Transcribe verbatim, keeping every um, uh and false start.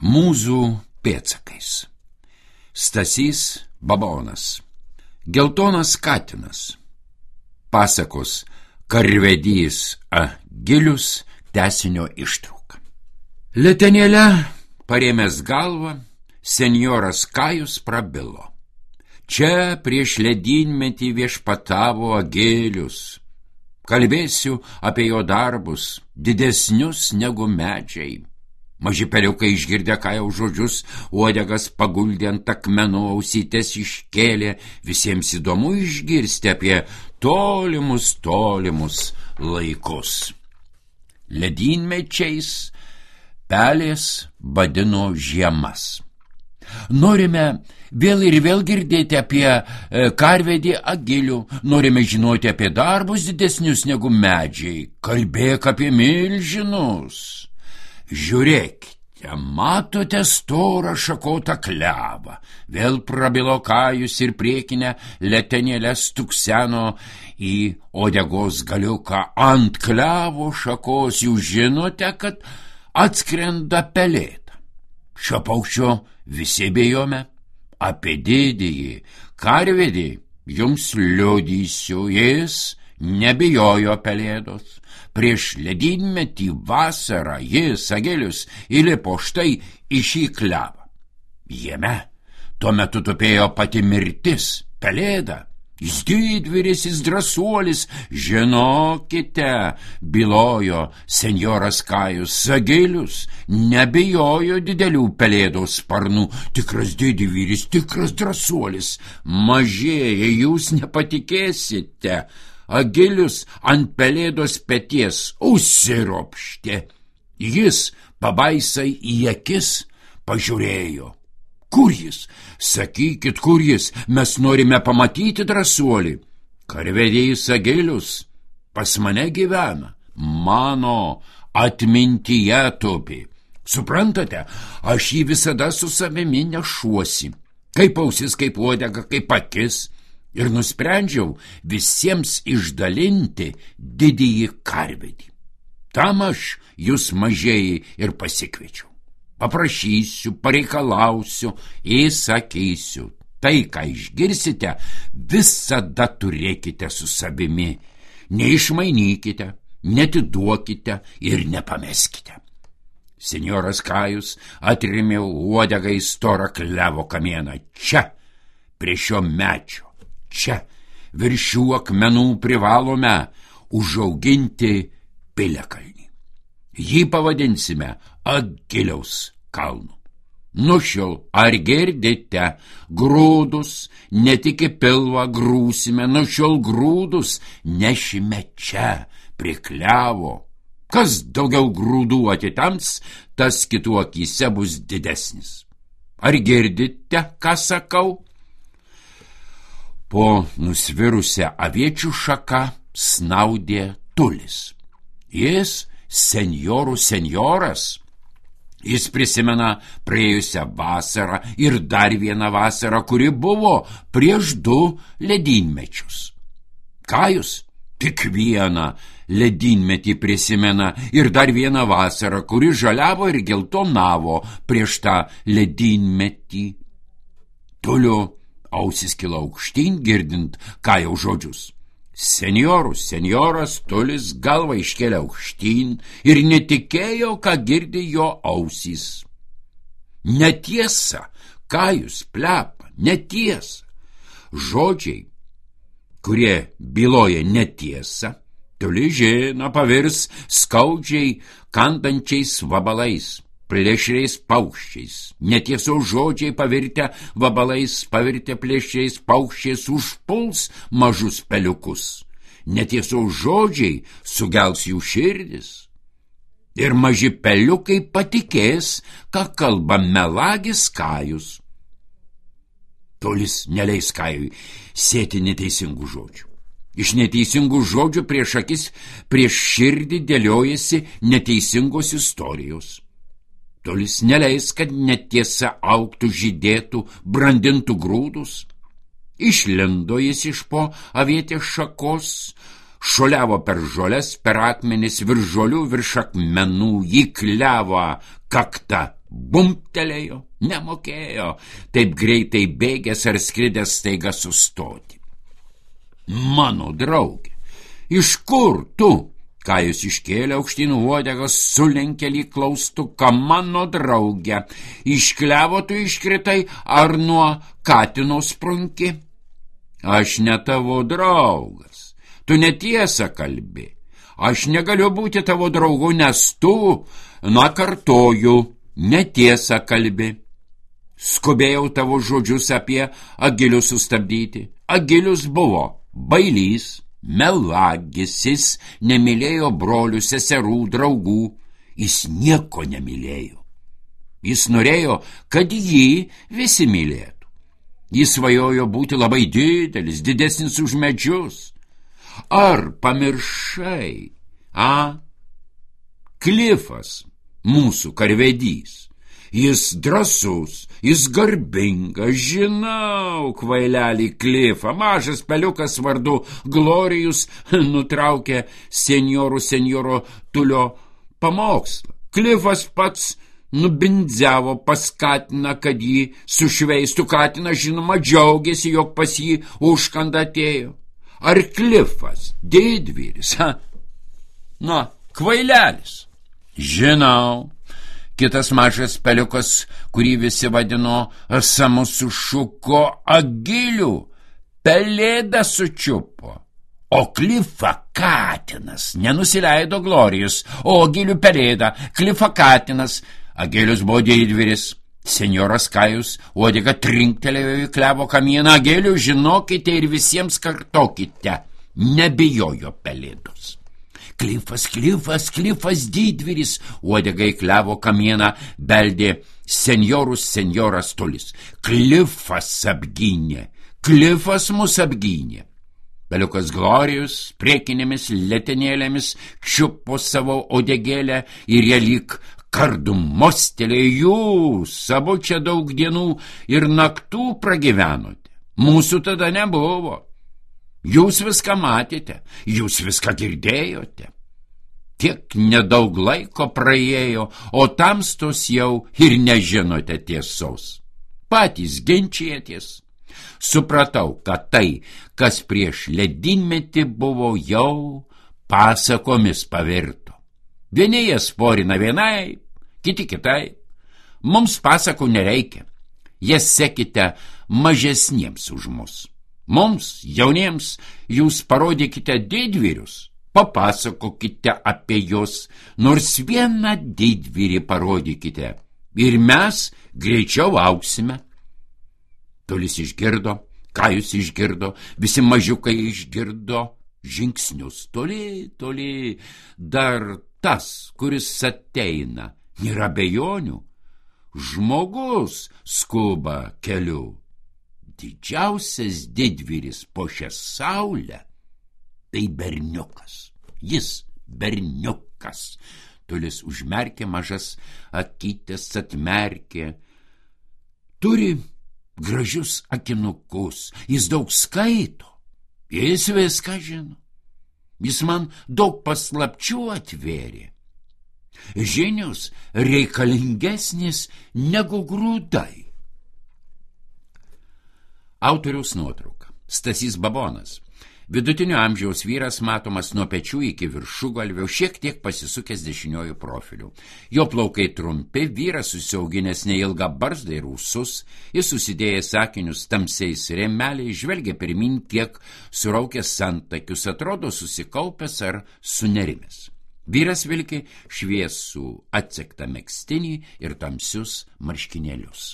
Mūzų pėdsakais. Stasys Babonas. Geltonas katinas. Pasakos Karvedys Agilius tęsinio ištrauka. Letenėle parėmęs galvą, senjoras Kajus prabilo. Čia prieš ledynmetį viešpatavo Agilius. Kalbėsiu apie jo darbus, didesnius negu medžiai. Maži peliukai išgirdę Kajaus žodžius, uodegas paguldė ant akmenų, ausytės iškėlė, visiems įdomu išgirsti apie tolimus, tolimus laikus. Ledynmečiais pelės vadino žiemas. Norime vėl ir vėl girdėti apie e, Karvedį Agilių, norime žinoti apie darbus didesnius negu medžiai, kalbėk apie milžinus. Žiūrėkite, matote storą šakotą klevą. Vėl prabilo Kajus ir priekinę letenėlę stukseno į uodegos galiuką. Ant klevo šakos jūs žinote, kad atskrenda pelėda. Šio paukščio visi bijome. Apie didįjį Karvedį jums liudysiu, jis nebijojo pelėdos. Prieš ledynmetį vasarą jis, Agilius, įlipo štai į šį klevą. Jame tuo metu tupėjo pati mirtis, pelėda. Jis didvyris, jis drąsuolis, žinokite, bylojo senjoras Kajus, Agilius nebijojo didelių pelėdos sparnų, tikras didvyris, tikras drąsuolis. Mažieji, jūs nepatikėsite, Agilius ant pelėdos peties užsiropštė. Jis pabaisai į akis pažiūrėjo. Kur jis? Sakykit, kur jis? Mes norime pamatyti drąsuolį. Karvedys Agilius pas mane gyvena. Mano atmintyje tupi. Suprantate, aš jį visada su savimi nešuosi. Kaip ausis, kaip uodega, kaip akis. Ir nusprendžiau visiems išdalinti didįjį Karvedį. Tam aš jūs mažieji ir pasikviečiau. Paprašysiu, pareikalausiu, įsakysiu. Tai, ką išgirsite, visada turėkite su savimi. Neišmainykite, netiduokite ir nepameskite. Senjoras Kajus atrėmė uodegą į storą klevo kamieną. Čia, prie šio mečio. Čia, virš šių akmenų privalome užauginti piliakalnį. Jį pavadinsime Agiliaus kalnu. Nuo šiol, ar girdite, grūdus ne tik į pilvą grūsime, nuo šiol grūdus nešime čia, prie klevo. Kas daugiau grūdų atitams, tas kitų akyse bus didesnis. Ar girdite, ką sakau? Po nusvirusią aviečių šaką snaudė Tulis. Jis senjorų senjoras. Jis prisimena praėjusią vasarą ir dar vieną vasarą, kuri buvo prieš du ledynmečius. Kajus tik vieną ledynmetį prisimena ir dar vieną vasarą, kuri žaliavo ir geltonavo prieš tą ledynmetį. Tulio ausis kilo aukštyn, girdint Kajaus žodžius. Senjorus, senjoras Tulis galvą iškėlė aukštyn ir netikėjo, ką girdi jo ausys. Netiesa, Kajus plepa, netiesa. Žodžiai, kurie byloja netiesą, Tulis žino, pavirs skaudžiai kantančiais vabalais, plėšriais paukščiais. Netiesos žodžiai pavirtę vabalais, pavirtę plėšriais paukščiais užpuls mažus peliukus. Netiesos žodžiai sugels jų širdis. Ir maži peliukai patikės, ką kalba melagis Kajus. Tulis neleis Kajui sėti neteisingų žodžių. Iš neteisingų žodžių prieš akis, prieš širdį dėliojasi neteisingos istorijos. Tulis neleis, kad netiesa augtų, žydėtų, brandintų grūdus. Išlindo jis iš po avietės šakos, šuoliavo per žoles, per akmenis, virš žolių, virš akmenų, jį klevą kaktą bumptelėjo, nemokėjo taip greitai bėgęs ar skridęs staiga sustoti. Mano draugė, iš kur tu? Kajus iškėlė aukštyn uodegas, sulenkė lyg klaustuką. Mano draugė, iš klevo tu iškritai ar nuo katino sprunki? Aš ne tavo draugas, tu netiesą kalbi. Aš negaliu būti tavo draugu, nes tu, na kartoju, netiesą kalbi. Skubėjau tavo žodžius apie Agilius sustabdyti. Agilius buvo bailys, melagis, jis nemylėjo brolių, seserų, draugų. Jis nieko nemylėjo. Jis norėjo, kad jį visi mylėtų. Jis svajojo būti labai didelis, didesnis už medžius. Ar pamiršai, a? Klifas, mūsų karvedys. Jis drąsus, jis garbingas, žinau, kvailelį Klifą. Mažas peliukas vardu Glorijus nutraukė senjorų senjoro Tulio pamokslą. Klifas pats nubindziavo pas katiną, kad jį sušveistų. Katinas, žinoma, džiaugiasi, jog pas jį užkanda atėjo. Ar Klifas didvyris, ha? Na, kvailelis. Žinau. Kitas mažas peliukas, kurį visi vadino Samu, sušuko: Agilių, pelėdą sučiupo. O Klifą katinas, nenusileido Glorijus, o Agilių pelėdą, Klifą katinas. Agilius buvo didvyris. Senjoras Kajus uodega trinktelėjo į klevo kamieną. Agilių, žinokite ir visiems kartokite, nebijojo pelėdos. Klifas, Klifas, Klifas didvyris, uodega į klevo kamieną beldė senjorus senjoras Tulis. Klifas apgynė, Klifas mus apgynė. Peliukas Glorijus priekinėmis letenėlėmis čiupo savo odegėlę ir jie lyg kardu mostelėjo. Jūs savo čia daug dienų ir naktų pragyvenote. Mūsų tada nebuvo. Jūs viską matėte, jūs viską girdėjote. Tiek nedaug laiko praėjo, o tamstos jau ir nežinote tiesos. Patys ginčijatės. Supratau, kad tai, kas prieš ledynmetį buvo, jau pasakomis pavirto. Vieni jie sporina vienai, kiti kitai. Mums pasakų nereikia. Jas sekite mažesniems už mus. Mums, jauniems, jūs parodykite didvyrius, papasakokite apie juos, nors vieną didvyrį parodykite, ir mes greičiau auksime. Tulis išgirdo, Kajus išgirdo, visi mažiukai išgirdo žingsnius. Toli, toli, dar tas, kuris ateina, nėra abejonių. Žmogus skuba keliu. Didžiausias didvyris po šią saulę tai berniukas. Jis berniukas. Tulis užmerkė mažas akytes, atmerkė. Turi gražius akinukus. Jis daug skaito. Jis viską žino. Jis man daug paslapčių atvėrė. Žinios reikalingesnės negu grūdai. Autoriaus nuotrauka. Stasys Babonas. Vidutinio amžiaus vyras, matomas nuo pečių iki viršugalvio, šiek tiek pasisukęs dešiniojų profilių. Jo plaukai trumpi, vyras susiauginęs neilgą barzdą ir ūsus, jis susidėjęs akinius tamsiais rėmeliais, žvelgia pirmin, kiek suraukęs antakius, atrodo susikaupęs ar sunerimęs. Vyras vilki šviesų atsektą megztinį ir tamsius marškinėlius.